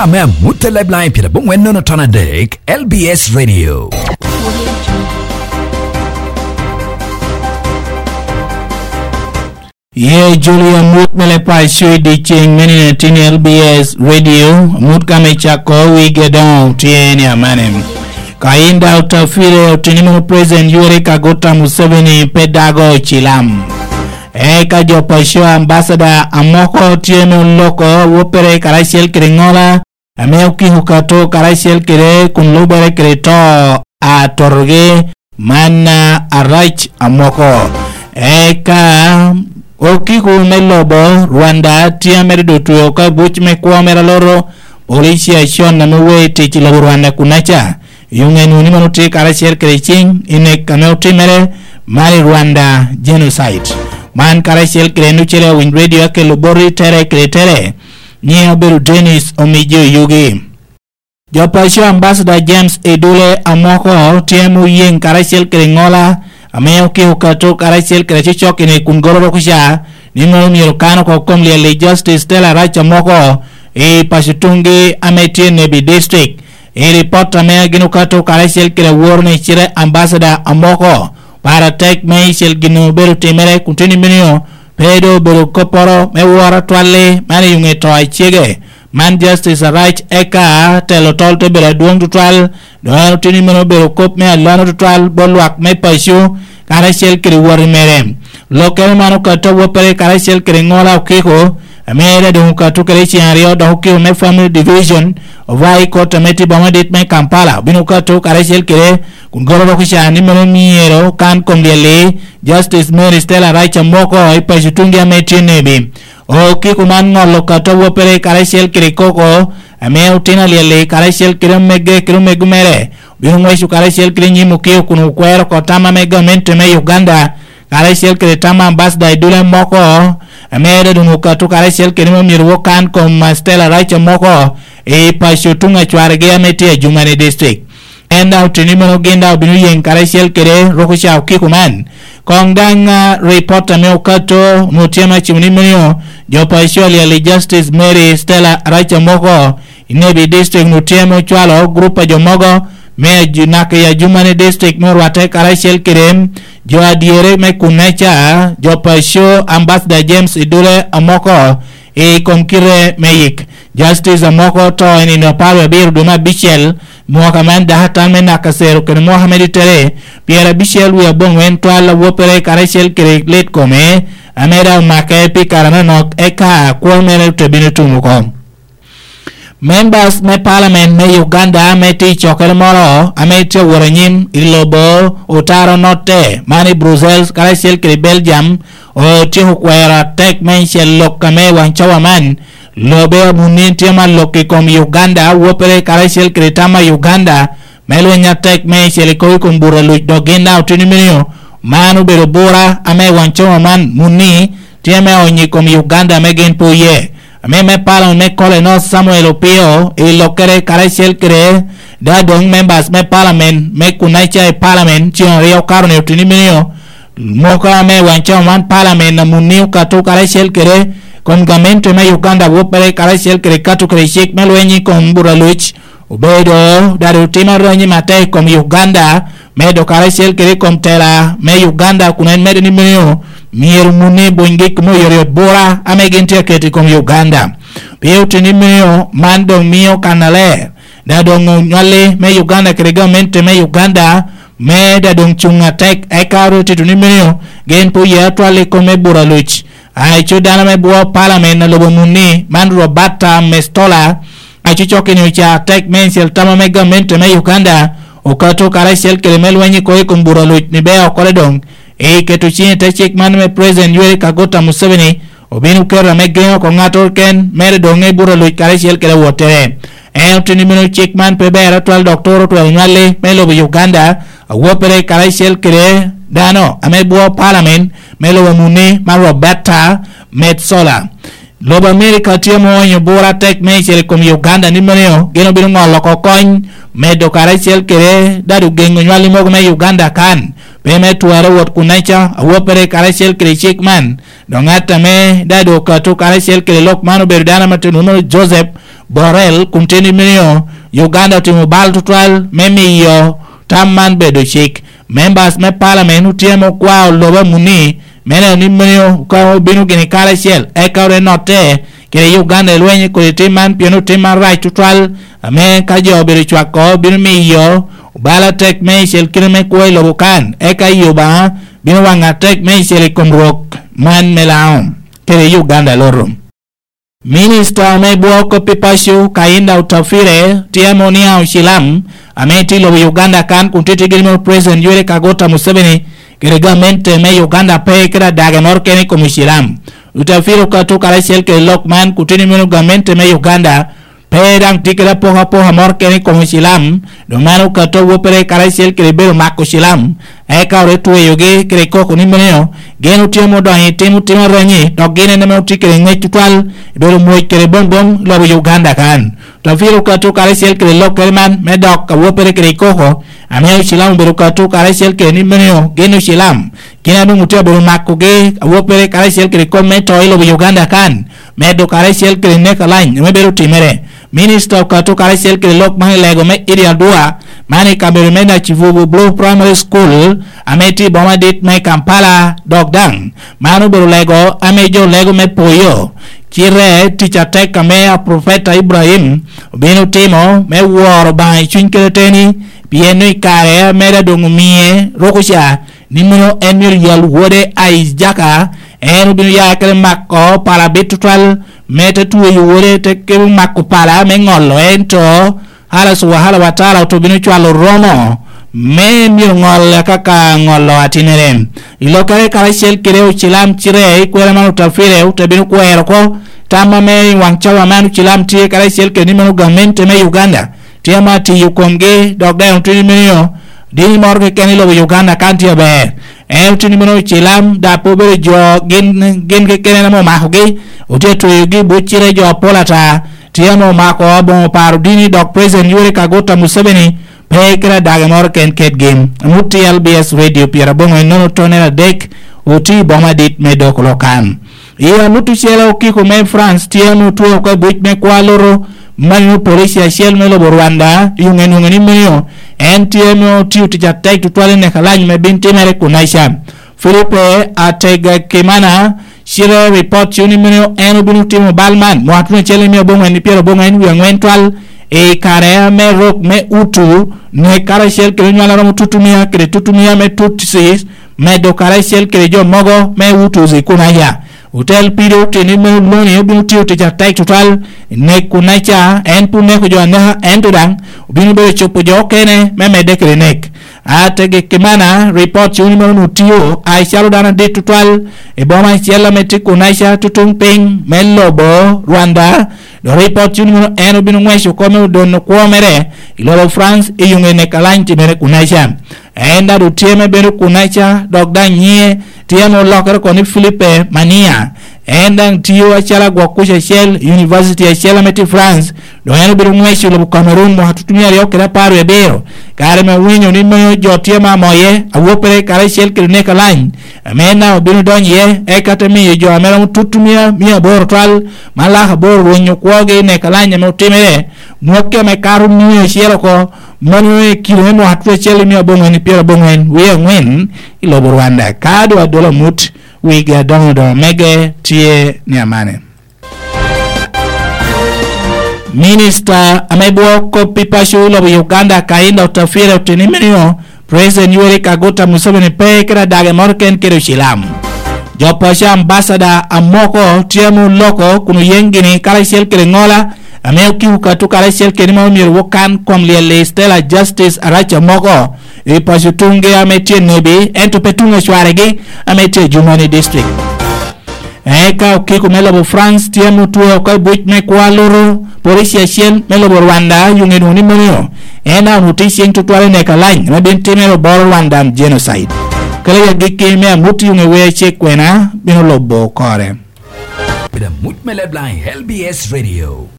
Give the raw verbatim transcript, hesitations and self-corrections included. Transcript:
Ame amut te leb laŋ i pyerabongwen nono ton adek, L B S Radio. Ye joli amut me leb paco i dyeceŋ me nino tin L B S Radio, amut ka me cako wige doŋ tye ni amane. Ka in daŋ otafire oteni meno President Yoweri Kaguta Museveni pe dago cilam. Eka jo paco ambasada amoko tye me oloko woppere karacel kede ŋola, ame okiko kato karacel kede kun lubere kede to a totogi man arac amoko. Eka okiko me lobo Rwanda tye amedo dotweo ka buc me kwo mere aloro polici acon ame wei tic i lobo Rwanda kunaca. Yuŋe nuni mano tye karacel kede ciŋ i nek ame otimere man i Rwanda genocide. Man karacel kede en ocele awiny radio akelo boti tere kede tere. Nyiŋe obedo Dennis Omijo Yugi. Jo paco Ambassador James Edule Amoko tye me oyeŋ karacel kede ŋola ame okiko kato karacel kede cocok i nek kun goro rokuca ni mono myero kan oko kom lyel i Justice Stella Rac Amoko i paco tuŋgi ame tye i Nebi District. I ripot ame gin okato karacel kede awor ni cite Ambassador Amoko, para tek me icel gin obedo timere kun tye ni minio pe doŋ obedo kopporo me woro atwalli man i yuŋe to acege. Man Justice Arac eka telo tol te bedo adwoŋ tutwal, dok en oteni meno obedo kop me alano tutwal bot lwak me paco karacel kede woti mere. Lokkere man okato awoppere karacel kede ŋola okiko, ame en doŋ okato kede ceŋ aryo dok okiko me Family Division of High Court ame tye boma dit me Kampala obino okato karacel kede kun goro dok ocan ni meno myero kan kom lyel-li Justice Mary Stella Raca moko i paco tuŋgi ame tye nebi. Okiko man ŋolo kato awoppere karacel kede koko ame otino alyel-li karacel kede omegge kede omego mere obino ŋweco karacel kede nyim okiko kun okwero oko tam ame gamente me Uganda karacel kede tam ambasada i dule moko ame dok doŋ okato karacel kede me myero wokan kom Stella Raca moko i paco tuŋ acwargi ame tye i Jumani District. En daŋ oteni meno gin daŋ obino yeŋ karacel kede rukuca okiko man. Koŋ daŋ, ah, ripot ame okato onwoŋo tye me acimo ni meno jo pa Australia i Justice Mary Stella Araca moko i Nebi District onwoŋo tye me ocwalo gurup a jo mogo me aju-, naka i Ajumani District me orwatte karacel kede jo adyere me kunneca, jo pa Show Ambassador James Idule Amoko i kom kite me yik. Justice Amoko oto i nino apar wie abiro dwe me abicel, mwaka man dako atan me naka cero kede mwaka me ditere pyerabicel wie aboŋwen twal awoppere karacel kede lit kome, ame daŋ omake pi kare anonok, eka kwo mere te bino tum oko. Members me Parliament me Uganda ame tye i cokere moro ame tye awot anyim i lobo otaro notte man i Brussels karacel kede Belgium otyeko kwero atek meicel lok ame i waŋ cawa man. Lobe amunni tye ma lok i kom Uganda, wopere karacel kede tam a Uganda me lweny atek meicel i kop i kom buto a luc, dok gin daŋ oteni meno. Man obedo bura ame i waŋ cawa man munni tye me onyo i kom Uganda ame gin pe oye. Ame me palo me Colonel Samuel Opio i lokkere karacel kede da doŋ members me parliament me kunaca i parliament ceŋ aryo kato ni oteni meno. Moko ame i waŋ cawa man palamen a munni okato karacel kede kom gamente me Uganda woppere karacel kede kato kede cik me lweny i kom buto a luc obedo dado otimo aranyi matek i kom Uganda, medo karacel kede i kom tela me Uganda kun en medo ni meno myero munni buny gik me oyotoyot bura ame gin tye aketo i kom Uganda. Pien oteni meno man doŋ mio kannaler da doŋ onywalli me Uganda kede gamente me Uganda me da doŋ cuŋ atek, eka ru tito ni meno gin pe oye atwal i kome bura luc. Aco dano me bwo palamen a lobo munni man Roberta Mestola, aco cokki ni oca atek me icel tama me gamente me Uganda okato karacel kede me lweny i kor i kom bura luc ni bea okole doŋ i keto ciŋ i te cik man me President Yoweri Kaguta Museveni obino keto ame geŋo oko ŋattoro ken mere doŋ i buto luc karacel kede awottere. En oteni meno cik man pe ber atwal dok turo twero nywalli me lobo Uganda, awoppere karacel kede dano ame bwo palamen me lobo munni ma Roberta Metsola. Lobo Amerika tye ma oonyo bura atek meicel i kom Uganda ni meno gin obino ŋolo oko kony medo karacel kede dado geŋo nywalli mogo me Uganda kan pe me twero wot kuneca, awoppere karacel kede cik man. Dok ŋat ame daŋ doŋ okato karacel kede lok man obedo dano ame tye lwongo ni Joseph Borrell kun tye ni miyo Uganda otimo bal tutwal me miyo tam man bedo cik. Members me parliament otye ame okwao lobo amuni me neno ni miyo ka obino gini karacel eka ore notte kede Uganda i lweny kodi tim man pien otim man rac tutwal ame ka jo obedo cwako bino miyo obalo atek me icel kite me kwo i lobo kan eka i Obaŋa bino waŋ atek me icel i kom rwok man me Laŋo kede Uganda loto. Minista me bwo kop i paco Kainda Otafire tye ame oniaŋ ocilam ame tye i lobo Uganda kan kun tye tye gin meno President Yoweri Kaguta Museveni kede gamente me Uganda pe kede adage moro kene i kom ocilam. Otafire okato karacel kede lok man kun tye ni meno gamente me Uganda pe daŋ tye kede apokapoka moro kene i kom ocilam, dok man okato awoppere karacel kede bedo mako ocilam, eka ore tweyogi kede koko ni meno gin otye ame odonyo i timo tim aranyi, dok gin en ame otye kede ŋec tutwal i bedo mwoc kede bombom i lobo Uganda kan. Otafire okato karacel kede lokkere man me dok awoppere kede i koko, ame ocilam obedo okato karacel kede ni meno gin ocilam, gin a doŋ otye abedo makogi awoppere karacel kede kop me to i lobo Uganda kan, medo karacel kede nek alany ame bedo timere. Minista okato karacel kede lok man i lego me Idi Adua man i kabedo me Nakivubo Blue Primary School ame tye i boma dit me Kampala, dok daŋ man obedo lego ame jo lego me poyo. Cite tic atek ame Aprofeta Ibrahim obino timo me woro Obaŋa i cuny kede teni, pien i kare ame daŋ doŋ omie rukuca ni meno en myero yal wode Aijaka, en obino ya kede mako pala bit tutwal, me te tweyo wode te kemo mako pala me ŋolo, ento Hala Subahala wa Taala oto bino cwalo romo me myero ŋol kaka ŋolo atinere. I lokkere karacel kede ocilam cire i kwera man Otafire ote bino kwero oko tam ame i waŋ cawa man ocilam tye karacel kede ni meno gamente me Uganda tye ame atiyo komgi, dok daŋ otye ni meno dini moro keken i lobo Uganda kan tye aber. En otye ni meno ocilam, dok pe obedo jo gin, gin keken ame omakogi, otye tweyogi i buc cire jo apol ata. Tye ame omako aboŋo paro dini, dok President Yoweri Kaguta Museveni pe kede adage moro ken kedgi. Amut T L B S Radio pyeraboŋo ennono tonere adek, otye i boma dit me Dokolo kan. I amut ocele okiko me France tye ame otwo oko i buc me kwa loro manino polici acel me lobo Rwanda, i onge nwoŋe ni Meo, en tye ame otio tic atek tutwal i neka lany me bin timere kunaca. Filipe Ategekimana, cite ripot cuno ni meno en obino timo bal man mwaka tuno acel i mia aboŋwen i pyero aboŋwen wie aŋwen twal i kare ame rok me Utu ne karacel kede onywal a romo tutumia kede tutumia me Tutsis medo karacel kede jo mogo me Utus i Kunaya. Otel pido teni me Loni obino tiyo tic atek tutwal i nek Kunaya, en pun neko jo aneka, ento daŋ obino bedo copo jo okene me medde kede nek. Ategekimana, ripot cuno ni meno onwoŋo tio acalo dano adit tutwal i boma acel ame tye Kunaca tutuŋ piny me lobo Rwanda, dok ripot cuno ni meno en obino ŋweco oko me odono kwo mere i lobo France i yuŋe nek alany timere Kunaca. En daŋ tye me bedo Kunaca, dok daŋ nyiŋe tye ame olokere oko ni Filipe Mania. En daŋ tio acalo agwok kuc acel i univaciti acel ame tye France, dok en obino ŋweco lobo Cameroon mwaka tutumia aryo kede apar wie abiro, kare me winyo ni meo jo tye ma amoye, awoppere karacel kede nek alany, ame en daŋ obino donyo iye, eka te miyo jo ame romo tutumia mia aboro twal, ma lak aboro rwenyo kwogi i nek alany ame otimere, mwakki ame kato mia acel oko, mano i kilo me mwaka twe acel i mia aboŋwen i pyero aboŋwen wie aŋwen i lobo Rwanda. Ka doŋ adola mut, wigi adoŋo doŋo mege tye ni amane. Minista ame bwo kop pi paco lobo Uganda Kainda Otafire oteni menio President Yoweri Kaguta Museveni pe kede adage moro ken kede ocilam. Jo paco ambasada amoko tye ame oloko kun oyeŋ gini karacel kede ŋola ame okiu katu karacel kede ma omyero wokan kom lyel i Stella Justice Arac amoko i paco tuŋgi ame tye nebi ento pe tuŋ acwaregi ame tye i Jumani District. Eka okiko me lobo France tye ame otwe oko i buc me kwo aluru, polici acel me lobo Rwanda yuŋe nwoŋo ni Monio en a onwoŋo tye ceŋ tutwal i nek alany ame bin timere oboro Rwandan genocide. Kala i agikki me amut yuŋe wer cik kwena bino lobo kore. Kede amut me Leblang L B S Radio.